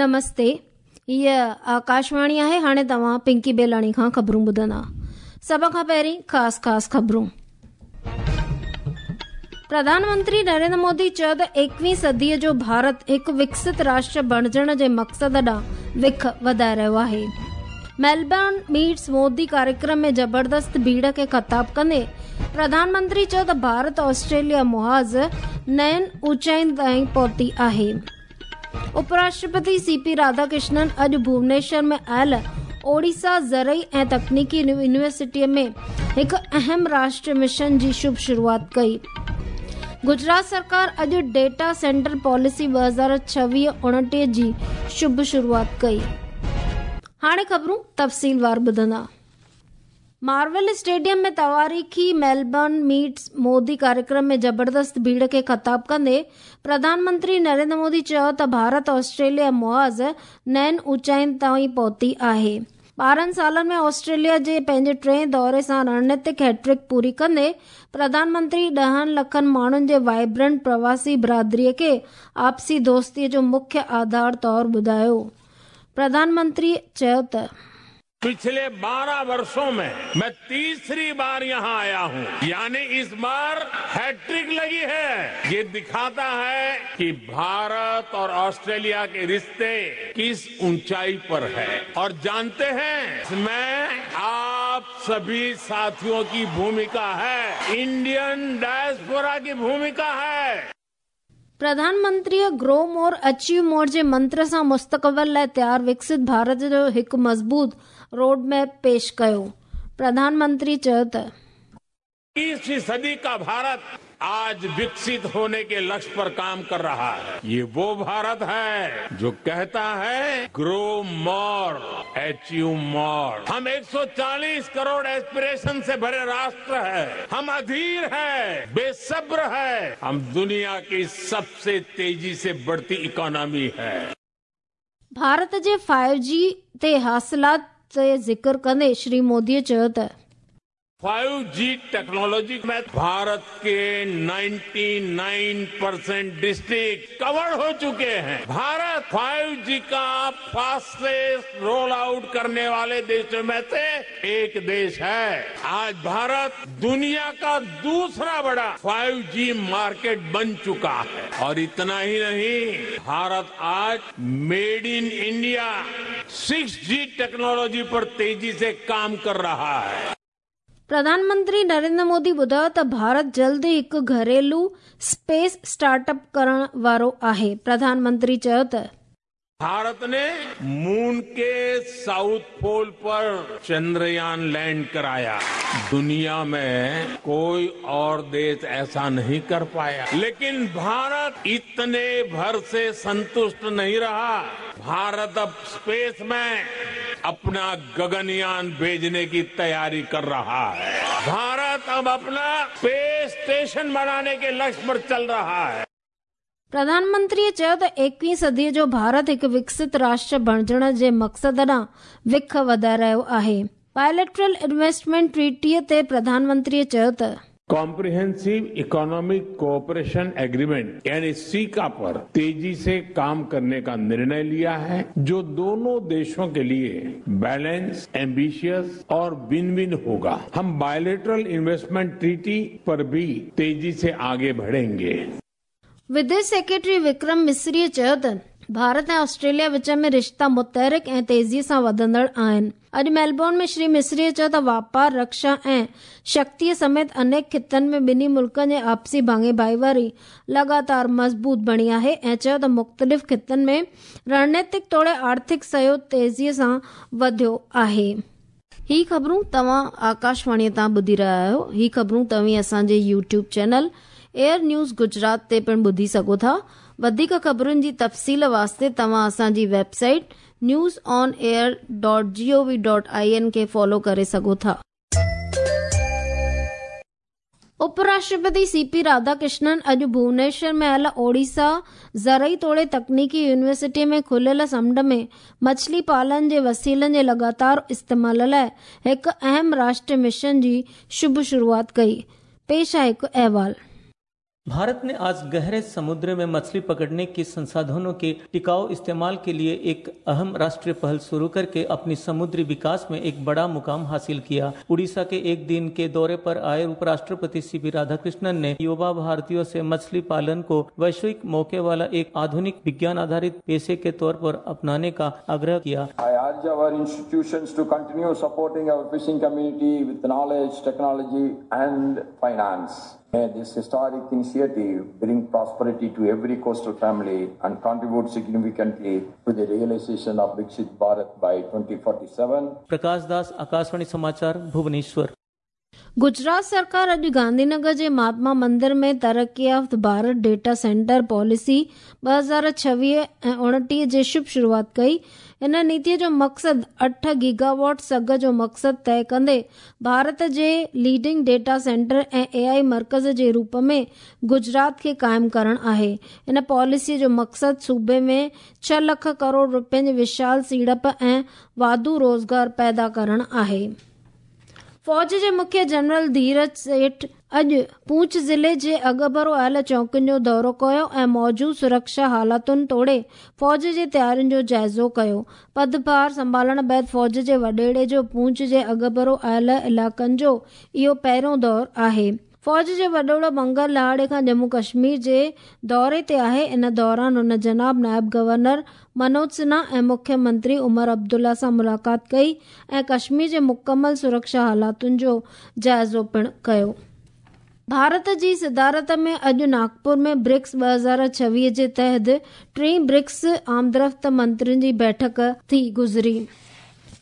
نمستي هيء آڪاشواڻي آهي هاڻي توهان پنڪي بيلاڻي کان خبرون ٻڌندا سڀ کان پهرين خاص خاص خبرون پرڌان منتري نريندر مودي چيو ته ايڪويهين صديء جو ڀارت هڪ وڪست راشٽر بڻجڻ جي مقصد ڏانهن وک وڌائي رهيو آهي ميلبرن ميٽس مودي ڪاريڪرم ۾ زبردست ڀيڙ کي خطاب ڪندي پرڌان منتري چيو ته ڀارت آسٽريليا محاذ نين اوچائين تائين پهتي آهي. اپراشٽرپتي سي پي راڌاڪرشنن اڄ ڀونيشور ۾ آيل اوڙيسا زرعي ۽ تڪنيڪي يونيورسٽيء ۾ هڪ اهم راشٽري مشن جي شڀ شروعات ڪئي. گجرات سرڪار اڄ ڊيٽا سينٽر پاليسي 2026 29 جي شڀ شروعات ڪئي. هاڻي خبرون تفصيلوار ٻڌندا. مارول اسٽيڊيم ۾ تواريخي ميلبرن ميٽس مودي ڪاريڪرم ۾ زبردست ڀيڙ کي خطاب ڪندي پرڌان منتري نريندر مودي چيو ته ڀارت آسٽريليا محاذ نين اوچائين تائين پهتي آهي. 12 سالن ۾ آسٽريليا جي پنهنجي ٽئين دوري سان رڻنيتڪ هيٽرڪ پوري ڪندي پرڌان منتري ڏهن لکن ماڻهن جي وائبرنٽ پرواسي برادري کي آپسي دوستي جو مکيه آڌار طور ٻڌايو. پرڌان منتري چيو ته. پڇلي 12 ورشون مين مين تيسري بار يهان آيا هون يعني اس بار هيٽرڪ لگي هي يي دکاتا هي ڪي ڀارت اور آسٽريليا ڪي رشتي ڪس اونچائي پر هي اور جانتي هين اس مين آپ سڀي ساٿيون ڪي ڀوميڪا هي انڊين ڊائسپورا ڪي ڀوميڪا هي. پرڌان منتريء گرو مور اچيو مور جي منتر سان مستقبل لاء تيار وڪست ڀارت جو هڪ مضبوط روڊ ميپ پيش ڪيو. پرڌان منتري چيو ته. اڪيسوين صدي ڪا ڀارت آج وڪست هوني ڪي لڪش پر ڪام ڪر رها هي. يي وو ڀارت هي جو ڪهتا هي گرو مور اچيو مور. هم 140 ڪروڙ ايسپريشن سي ڀري راشٽر هي. هم اڌير هي، بي صبر هي، هم دنيا ڪي سب سي تيزي سي بڙهتي اڪانومي هي. ڀارت جي فائيو جي تي حاصلات تي ذڪر ڪندي شري مودي چيو ته. فائيو جي ٽيڪنالاجي ۾ ڀارت ڪي 99 پرسنٽ ڊسٽرڪٽ ڪور هو چڪي هين. ڀارت فائيو جي ڪا فاسٽيسٽ رول آئوٽ ڪرني والي ديشون ۾ سي ايڪ ديش هي. آج ڀارت دنيا ڪا دوسرا بڙا فائيو جي مارڪيٽ بن چڪا هي. اور اتنا هي نهين ڀارت آج made in India six G technology پر تيزي سي ڪام ڪر رها هي. پرڌان منتري نريندر مودي ٻڌايو ته ڀارت جلد ئي هڪ گهريلو اسپيس اسٽارٽ اپ ڪرڻ وارو آهي. پرڌان منتري چيو ته. ڀارت ني مون ڪي سائوٿ پول پر چندريان لينڊ ڪرايا. دنيا ۾ ڪوئي اور ديش ايسا نهين ڪر پايا. ليڪن ڀارت اتني ڀر سي سنتشٽ نهين رها. ڀارت اب اسپيس ۾ اپنا گگنيان ڀيجني ڪي تياري ڪر رها هي. ڀارت اب اپنا اسپيس اسٽيشن بناني ڪي لڪش پر چل رها هي. پرڌان منتريء چيو ته ايڪويهين صديء جو ڀارت هڪ وڪست راشٽر بڻجڻ جي مقصد ڏانهن وک وڌائي رهيو آهي. بائليٽرل انويسٽمينٽ ٽريٽيء تي پرڌان منتريء چيو ته. ڪامپريهنسو اڪانامڪ ڪوآپريشن ايگريمينٽ يعني سيڪا پر تيزي سي ڪام ڪرني ڪا نرڻي ليا هي جو دونون ديشون ڪي ليي بيلنس، ايمبيشس اور ون ون هوگا. هم بائليٽرل انويسٽمينٽ ٽريٽي پر ڀي تيزي سي آگي بڙهينگي. وديش سيڪريٽري وڪرم مصري چيو ته ڀارت ۽ آسٽريليا وچ ۾ رشتا متحرڪ ۽ تيزي سان وڌندڙ آهن. اڄ ميلبورن ۾ شري مصري چيو ته واپار، رڪشا ۽ شڪتيء سميت انيڪ خطن ۾ ٻنهي ملڪن جي آپسي ڀاڱي ڀائيواري لڳاتار مضبوط بڻي آهي ۽ چيو ته مختلف خطن ۾ رڻنيتڪ توڙي آرٿڪ سهيوگ تيزي سان وڌيو آهي. هي خبرون توهان آڪاشواڻيء تان ٻڌي رهيا آهيو. هي خبرون توهين اسان جي YouTube channel air news Gujarat تي پڻ ٻڌي سگهو ٿا. وڌيڪ خبرن جي تفصيل واسطي توهان اسان جي website news on air dot G O V dot I N کي فالو ڪري سگهو ٿا. اپ راشٽرپتي سي پي راڌاڪرشنن اڄ ڀونيشور ۾ آيل اوڙيسا زرعي توڙي تڪنيڪي يونيورسٽي ۾ کليل سمنڊ ۾ مڇلي پالن جي وسيلن جي لڳاتار استعمال لاء هڪ اهم راشٽري مشن جي شڀ شروعات ڪئي. پيش آهي هڪ احوال. भारत ने आज गहरे समुद्र में मछली पकड़ने के संसाधनों के टिकाऊ इस्तेमाल के लिए एक अहम राष्ट्रीय पहल शुरू करके अपनी समुद्री विकास में एक बड़ा मुकाम हासिल किया। उड़ीसा के एक दिन के दौरे पर आए उपराष्ट्रपति सीपी राधाकृष्णन ने युवा भारतीयों से मछली पालन को वैश्विक मौके वाला एक आधुनिक विज्ञान आधारित पेशे के तौर पर अपनाने का आग्रह किया। I urge our institutions to continue supporting our fishing community with knowledge, technology and finance. May this historic initiative bring prosperity to every coastal family and contribute significantly to the realization of Viksit Bharat by 2047. Prakash Das, Akashvani समाचार, भुवनेश्वर। गुजरात सरकार अॼु गांधीनगर जे महात्मा मंदिर में तरक्की याफ़्त Bharat data centre policy 2026 ऐं 29 जी शुभ शुरूआत कई। इन नीतीअ जो मक़सदु 8 गीगावॉट सघ जो मक़सदु तय कंदे भारत जे लीडिंग डेटा सेंटर ऐं एआई मर्कज़ जे रूप में गुजरात खे क़ाइमु करणु आहे। इन पॉलिसीअ जो मक़सदु सूबे में 6 लख करोड़ रुपयनि जी विशाल सीड़प ऐं वाधू रोज़गार पैदा करणु आहे। फ़ौज जे मुख्य जनरल धीरज सेठ अॼु पूंछ ज़िले जे अॻभरो आयल चौकियुनि जो दौरो कयो ऐं मौजूद सुरक्षा हालातुनि तोड़े फ़ौज जे तयारियुनि जो जाइज़ो कयो। पदभार संभालण बाद फ़ौज जे वॾेड़े जो पूंछ जे अॻभरो आयल इलाइक़नि जो इहो पहिरियों दौर आहे। फ़ौज जो वॾेड़ो मंगल ॾिहाड़े खां जम्मू कश्मीर जे दौरे ते आहे। इन दौरान हुन जनाब नायब गवर्नर मनोज सिन्हा ऐं मुख्यमंत्री उमर अब्दुल्ला सां मुलाक़ात कई ऐं कश्मीर जे मुकमल सुरक्षा हालातुनि जो जाइज़ो पिणु कयो। भारत जी सदारत में अॼु नागपुर में ब्रिक्स 2026 जे तहत टीं ब्रिक्स आमदरफ़्त मंत्रियुनि जी बैठक थी गुज़री।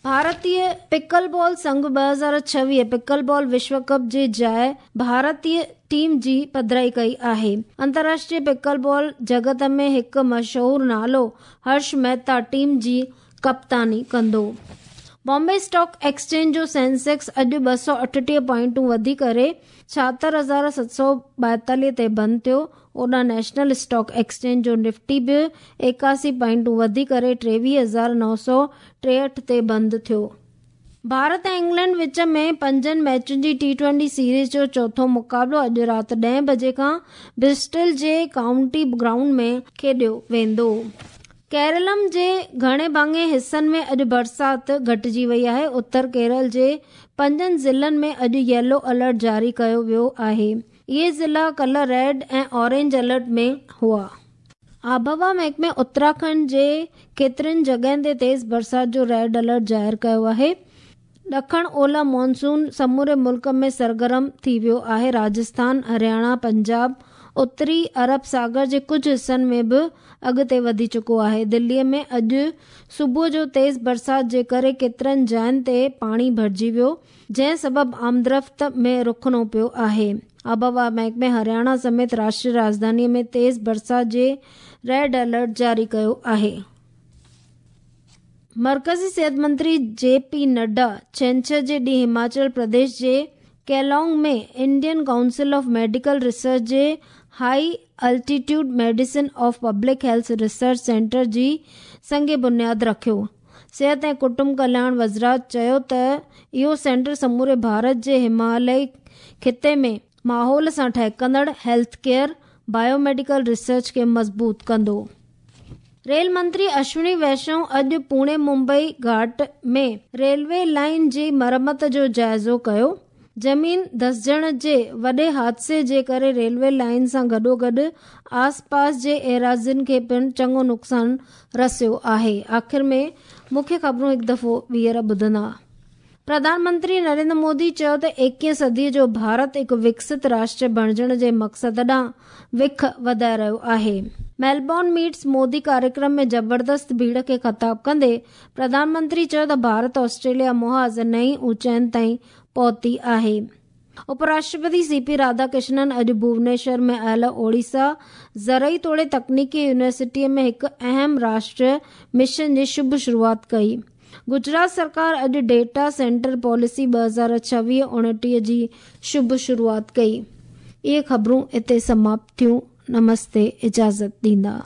भारतीय पिकल बॉल संघ 2026 पिकल बॉल विश्व कप जे जाइ भारतीय टीम जी पधराई कई आहे। अंतर्राष्ट्रीय पिकल बॉल जगत में हिकु मशहूर नालो हर्ष मेहता टीम जी कप्तानी कंदो। बॉम्बे स्टॉक एक्सचेंज जो सेंसेक्स अॼु 238 पॉइंटूं वधी करे 76,742 ते बंदि थियो। ओॾां नेशनल स्टॉक एक्सचेंज जो निफ्टी बि 81 पॉइंटूं वधी करे 23,963 ते बंदि थियो। भारत ऐं इंग्लैंड विच में पंजनि मैचुनि जी टी20 सीरीज़ जो चोथों मुक़ाबिलो अॼु राति 10 बजे खां ब्रिस्टल जे काउंटी ग्राउंड में खेॾियो वेंदो। केरलम जे घणे भाङे हिसनि में अॼु बरसाति घटिजी वई आहे। उत्तर केरल जे 5 ज़िलनि में अॼु येलो अलर्ट जारी कयो वियो आहे। इहे ज़िला कल्ह रेड ऐं ऑरेंज अलर्ट में हुआ। आबहवा महकमे उत्तराखंड जे केतिरनि जॻहियुनि ते तेज़ बरसाति जो रेड अलर्ट ज़ाहिर कयो आहे। ॾखण ओलह मानसून समूरे मुल्क में सरगर्म थी वियो आहे। राजस्थान, हरियाणा, पंजाब, उत्तरी अरब सागर जे कुझु हिसनि में बि अॻिते वधी चुको आहे। दिल्लीअ में अॼु सुबुह जो तेज़ बरसाति जे करे केतिरनि जायुनि ते पाणी भरिजी वियो, जंहिं सबबु आमदरफ़्त में रुकणो पियो आहे। आबहवा महकमे हरियाणा समेत राष्ट्रीय राजधानीअ में तेज़ बरसाति जे रेड अलर्ट जारी कयो आहे। मर्कज़ी सिहत मंत्री जे पी नड्डा छंछर जे ॾींहुं हिमाचल प्रदेश जे केलोंग में Indian Council of Medical Research J high altitude medicine of public health research centre जी संग बुनियाद रखियो। सिहत ऐं कुटुंब कल्याण वज़ारत चयो त इहो सेंटर समूरे भारत जे हिमालयी ख़िते में माहौल सां ठहकंदड़ हेल्थ केयर बायोमेडिकल रिसर्च खे मज़बूत कंदो। रेल मंत्री अश्विनी वैष्णव अॼु पुणे मुंबई घाट में रेलवे लाइन जी मरमत जो जाइज़ो कयो। ज़मीन धसजण जे वॾे हादसे जे करे रेलवे लाइन सां गॾोगॾु आसपास जे एराज़ियुनि खे पिणु चङो नुक़सानु रसियो आहे। आख़िर में मुख्य ख़बरूं हिकु दफ़ो ॿीहर ॿुधंदा। प्रधानमंत्री नरेंद्र मोदी चयो त 21वीं सदीअ जो भारत हिकु विकसित राष्ट्र बणिजण जे मक़सद ॾांहुं विख वधाए रहियो आहे। मेलबॉर्न मीट्स मोदी कार्यक्रम में ज़बरदस्त भीड़ खे ख़िताब कंदे प्रधानमंत्री चयो त भारत ऑस्ट्रेलिया मुहाज़ नई ऊंचाइयुनि ताईं पहुती आहे। उपराष्ट्रपति सीपी राधाकृष्णन अॼु भुवनेश्वर में आयल ओडिशा ज़रई तोड़े तकनीकी यूनिवर्सिटीअ में हिकु अहम राष्ट्रीय मिशन जी शुभ शुरूआत कई। गुजरात सरकार अॼु डेटा सेंटर पॉलिसी 2026-29 जी शुभ शुरूआत कई। इहे ख़बरूं हिते समाप्त थियूं। नमस्ते, इजाज़त ॾींदा।